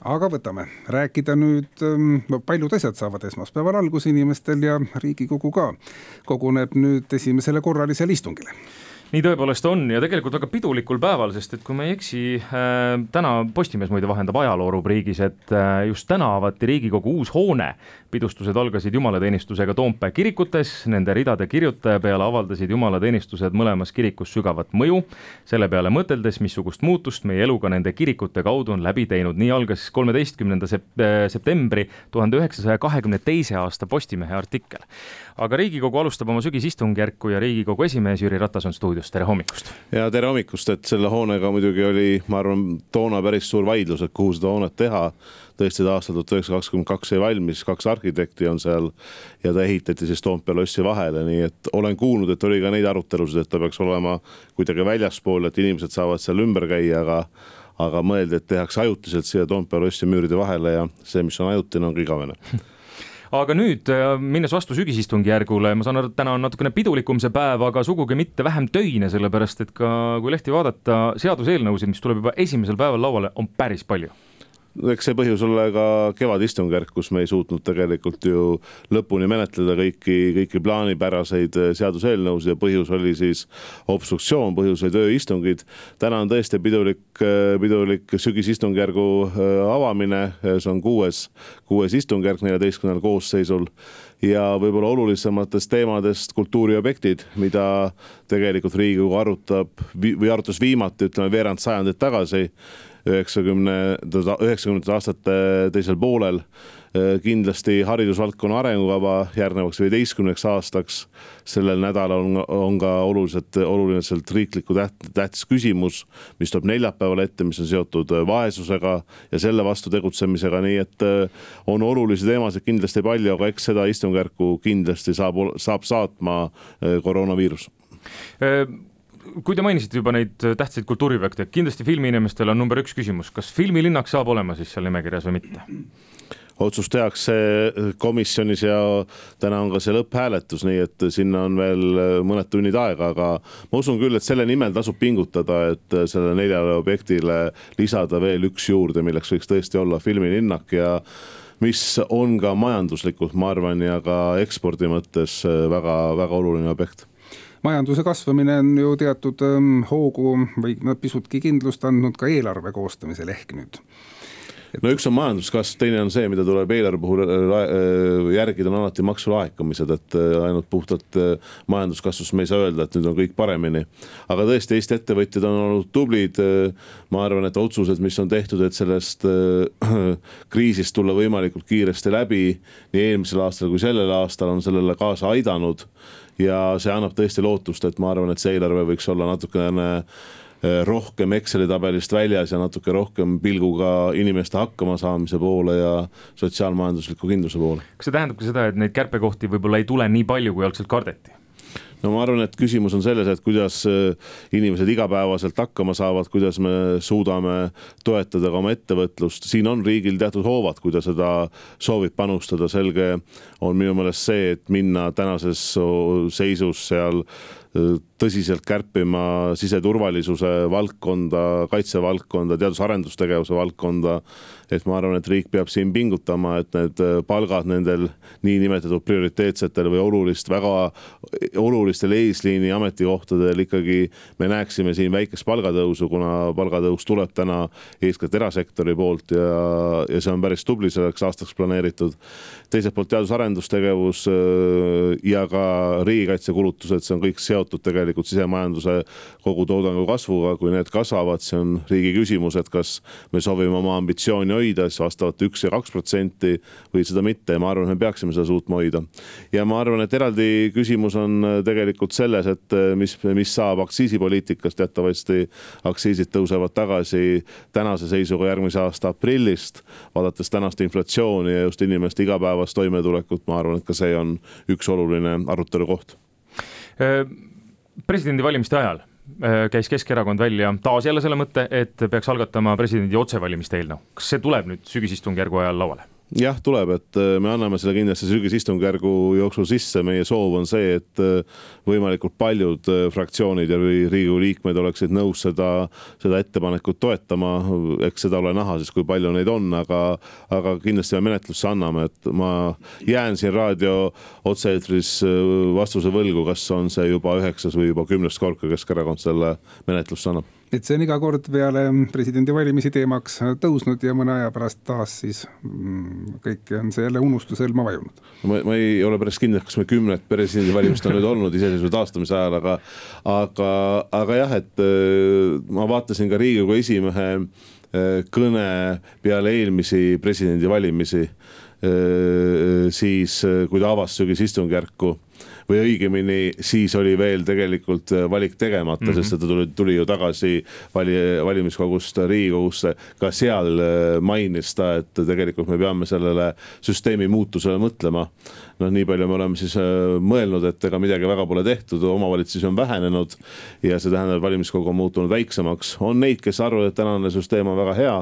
Aga võtame rääkida nüüd, paljud asjad saavad esmaspäeval algus inimestel ja Riigikogu ka koguneb nüüd esimesele korralisele istungile. Nii tõepoolest on ja tegelikult väga pidulikul päeval, sest et kui me ei eksi, täna Postimees muide vahendab ajaloorubriigis, et just täna avati Riigikogu uus hoone. Pidustused algasid jumalateenistusega Toompea kirikutes, nende ridade kirjutaja peale avaldasid jumalateenistused mõlemas kirikus sügavat mõju. Selle peale mõteldes, missugust muutust meie eluga nende kirikute kaudu on läbi teinud. Nii algas 13. septembri 1922. aasta Postimehe artikkel. Aga Riigikogu alustab oma sügisistungjärku ja Riigikogu esimees Jüri Ratas on stuudios. Tere hommikust. Ja tere hommikust, et selle hoonega muidugi oli, ma arvan, toona päris suur vaidlus, et kuhu seda hoonet teha. Tõesti aastal 1922 ei valmis, 2 arhitekti on seal ja ta ehitati siis Toompea lossi vahele, nii et olen kuulnud, et oli ka neid arutelusid, et ta peaks olema kuidagi väljaspool, et inimesed saavad seal ümber käia, aga mõeldi, et tehakse ajutiselt siia Toompea lossi müüride vahele ja see, mis on ajutine, on igavene. Aga nüüd, minnes vastu sügisistungjärgule, ma saan aru, et täna on natukene pidulikum see päev, aga sugugi mitte vähem töine, sellepärast et ka kui lehti vaadata seaduseelnõusid, mis tuleb juba esimesel päeval lauale, on päris palju. Eks see põhjus ole ka kevadistungjärk, kus me ei suutnud tegelikult ju lõpuni menetleda kõiki plaanipäraseid seaduseelnõusid ja põhjus oli siis obstruktsioon, põhjus oli tööistungid. Täna on tõesti pidulik sügisistungjärgu avamine, see on 6. istungjärk 14. koosseisul ja võib-olla olulisematest teemadest kultuuriobjektid, mida tegelikult Riigikogu arutas viimati, ütleme veerand sajandit tagasi, 90. aastate teisel poolel. Kindlasti haridusvaldkonna arengukava järgnevaks 15 aastaks. Sellel nädalal on ka oluliselt riikliku tähtis küsimus, mis tuleb neljapäeval ette, mis on seotud vaesusega ja selle vastu tegutsemisega, nii et on olulisi teemasid kindlasti palju, aga eks seda istungjärku kindlasti saab saatma koroonaviirus. Kui te mainisite juba neid tähtsaid kultuuriobjekte, kindlasti filmiinimestel on number 1 küsimus, kas filmilinnak saab olema siis seal nimekirjas või mitte? Otsus tehakse komisjonis ja täna on ka see lõpphääletus, nii et sinna on veel mõned tunnid aega, aga ma usun küll, et selle nimel tasub pingutada, et selle 4 objektile lisada veel 1 juurde, milleks võiks tõesti olla filmilinnak ja mis on ka majanduslikult, ma arvan, ja ka ekspordi mõttes väga, väga oluline objekt. Majanduse kasvamine on ju teatud hoogu või pisutki kindlust andnud ka eelarve koostamisel ehk nüüd. No üks on majanduskasv, teine on see, mida tuleb eelarve puhul järgida, on alati maksulaekumised, et ainult puhtalt majanduskasvust me ei saa öelda, et nüüd on kõik paremini. Aga tõesti, Eesti ettevõtjad on olnud tublid. Ma arvan, et otsused, mis on tehtud, et sellest kriisist tulla võimalikult kiiresti läbi, nii eelmisel aastal kui sellel aastal on sellele kaasa aidanud ja see annab tõesti lootust, et ma arvan, et see eelarve võiks olla natukene rohkem Exceli tabelist väljas ja natuke rohkem pilguga inimeste hakkama saamise poole ja sotsiaalmajandusliku kindluse poole. Kas see tähendab ka seda, et neid kärpekohti võib-olla ei tule nii palju, kui algselt kardeti? No ma arvan, et küsimus on selles, et kuidas inimesed igapäevaselt hakkama saavad, kuidas me suudame toetada ka oma ettevõtlust. Siin on riigil teatud hoovad, kui ta seda soovib panustada. Selge on minu meelest see, et minna tänases seisus seal tõsiselt kärpima siseturvalisuse valdkonda, kaitsevaldkonda, teadus-arendustegevuse valdkonda. Et ma arvan, et riik peab siin pingutama, et need palgad nendel niinimetatud prioriteetsetel või väga olulistel eesliini ametikohtadel ikkagi me näeksime siin väikest palgatõusu, kuna palgatõus tuleb täna eeskätt erasektori poolt ja see on päris tubli selleks aastaks planeeritud. Teiselt poolt teadus-arendustegevus ja ka riigikaitsekulutused, see on kõik seotud tegelikult sisemajanduse kogutoodangu kasvuga, kui need kasvavad, see on riigi küsimus, et kas me soovime oma ambitsiooni hoida, siis vastavalt 1 ja 2% või seda mitte ja ma arvan, et me peaksime seda suutma hoida. Ja ma arvan, et eraldi küsimus on tegelikult selles, et mis saab aktsiisipoliitikast, teatavasti aktsiisid tõusevad tagasi tänase seisuga järgmise aasta aprillist, vaadates tänast inflatsiooni ja just inimeste igapäevast toimetulekut, ma arvan, et ka see on üks oluline arutelu koht. Presidendi valimiste ajal käis Keskerakond välja taas jälle selle mõtte, et peaks algatama presidendi otsevalimiste eelnõu. Kas see tuleb nüüd sügisistungjärgu ajal lauale? jah, tuleb, et me anname selle kindlasti sügisistungjärgu jooksul sisse. Meie soov on see, et võimalikult paljud fraktsioonid ja Riigikogu liikmed oleksid nõus seda ettepanekut toetama. Eks seda ole näha siis, kui palju neid on, aga kindlasti me menetlusse anname, et ma jään siin raadio otse-eetris vastuse võlgu, kas on see juba 9. või juba 10. kord, kui Keskerakond selle menetlusse annab. Et see on iga kord peale presidendi valimisi teemaks tõusnud ja mõne aja pärast taas siis kõik on see jälle unustusõlma vajunud. Ma ei ole päris kindel, kas me 10 presidendi valimist on nüüd olnud iseseisvuse taastamise ajal, aga jah, et ma vaatasin ka Riigikogu esimehe kõne peale eelmisi presidendi valimisi, siis kui ta avas sügisistungjärku või õigemini siis oli veel tegelikult valik tegemata, sest ta tuli ju tagasi valimiskogust Riigikogusse. Ka seal mainis ta, et tegelikult me peame sellele süsteemi muutusele mõtlema. Nii palju me oleme siis mõelnud, et ega midagi väga pole tehtud, omavalitsusi on vähenenud ja see tähendab, et valimiskogu on muutunud väiksemaks. On neid, kes arvavad, et tänane süsteem on väga hea,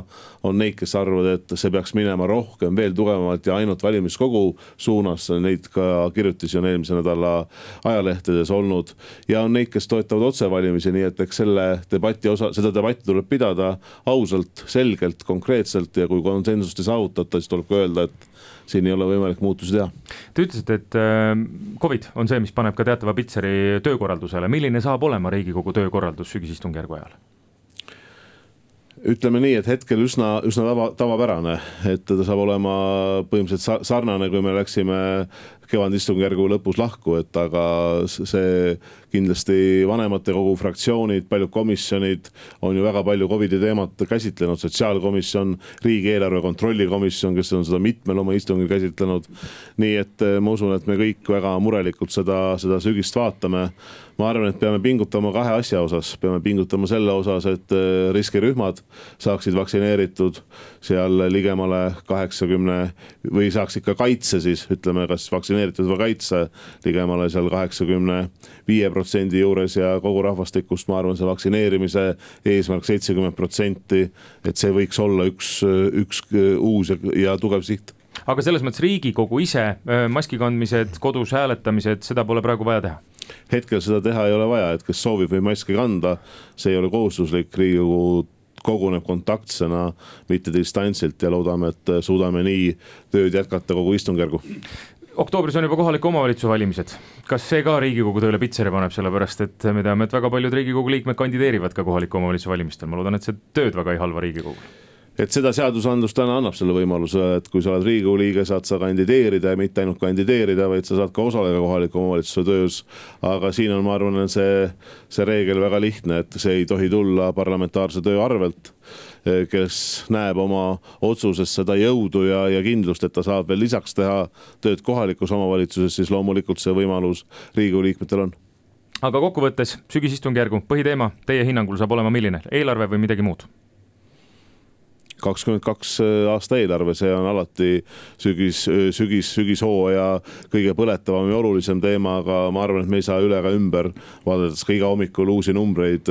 on neid, kes arvavad, et see peaks minema rohkem, veel tugevamalt ja ainult valimiskogu suunas. Neid ka kirjutisi on eelmise nädala ajalehtedes olnud ja on neid, kes toetavad otsevalimisi, nii et eks seda debatti tuleb pidada ausalt, selgelt, konkreetselt ja kui konsensust ei saavutata, siis tuleb ka öelda, et siin ei ole võimalik muutusi teha. Te ütlesite, et COVID on see, mis paneb ka teatava Pitseri töökorraldusele. Milline saab olema Riigikogu töökorraldus sügisistungjärgu ajal? Ütleme nii, et hetkel üsna tavapärane, et ta saab olema põhimõtteliselt sarnane, kui me läksime kevadistungjärgu lõpus lahku, et aga see kindlasti vanematekogu fraktsioonid, paljud komisjonid on ju väga palju COVID-i teemat käsitlenud, sotsiaalkomisjon, riigieelarve kontrollikomisjon, kes on seda mitmel oma istungil käsitlenud. Nii et ma usun, et me kõik väga murelikult seda sügist vaatame. Ma arvan, et peame pingutama kahe asja osas. Peame pingutama selle osas, et riskirühmad saaksid vaktsineeritud seal ligemale 80 või saaks ikka kaitse siis, ütleme, kas vaktsineeritud või kaitse ligemale seal 85% juures ja kogu rahvastikust, ma arvan, see vaktsineerimise eesmärk 70%, et see võiks olla üks uus ja tugev siht. Aga selles mõttes Riigikogu ise, maski kandmised, kodus hääletamised, seda pole praegu vaja teha? Hetkel seda teha ei ole vaja, et kes soovib või maski kanda, see ei ole kohustuslik. Riigikogu koguneb kontaktsena, mitte distantsilt ja loodame, et suudame nii tööd jätkata kogu istungjärgu. Oktoobris on juba kohaliku omavalitsuse valimised. Kas see ka Riigikogu tööle Pitseri paneb, sellepärast et me teame, et väga paljud Riigikogu liikmed kandideerivad ka kohaliku omavalitsuse valimistel. Ma loodan, et see tööd väga ei halva Riigikogu. Et seda seadusandlus täna annab selle võimaluse, et kui sa oled Riigikogu liige, saad sa kandideerida ja mitte ainult kandideerida, vaid sa saad ka osaleda kohaliku omavalitsuse töös. Aga siin on, ma arvan, see reegel väga lihtne, et see ei tohi tulla parlamentaarse töö arvelt, kes näeb oma otsuses seda jõudu ja kindlust, et ta saab veel lisaks teha tööd kohalikus omavalitsuses, siis loomulikult see võimalus Riigikogu liikmetel on. Aga kokkuvõttes sügisistungjärgu põhiteema teie hinnangul saab olema milline? Eelarve või midagi muud? 22 aasta eelarve, see on alati sügishooaja kõige põletavam ja olulisem teema, aga ma arvan, et me ei saa üle ega ümber vaadates ka iga hommikul uusi numbreid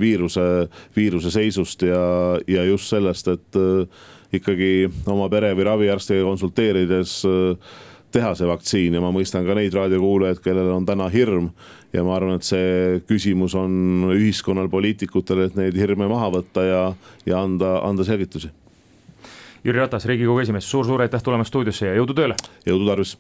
viiruse seisust ja just sellest, et ikkagi oma pere või raviarstiga konsulteerides teha see vaktsiin ja ma mõistan ka neid raadiokuulajaid, kellel on täna hirm ja ma arvan, et see küsimus on ühiskonnal, poliitikutel, et neid hirme maha võtta ja anda selgitusi. Jüri Ratas, Riigikogu esimees, suur aitäh tulemast stuudiosse ja jõudu tööle! Jõudu tarvis!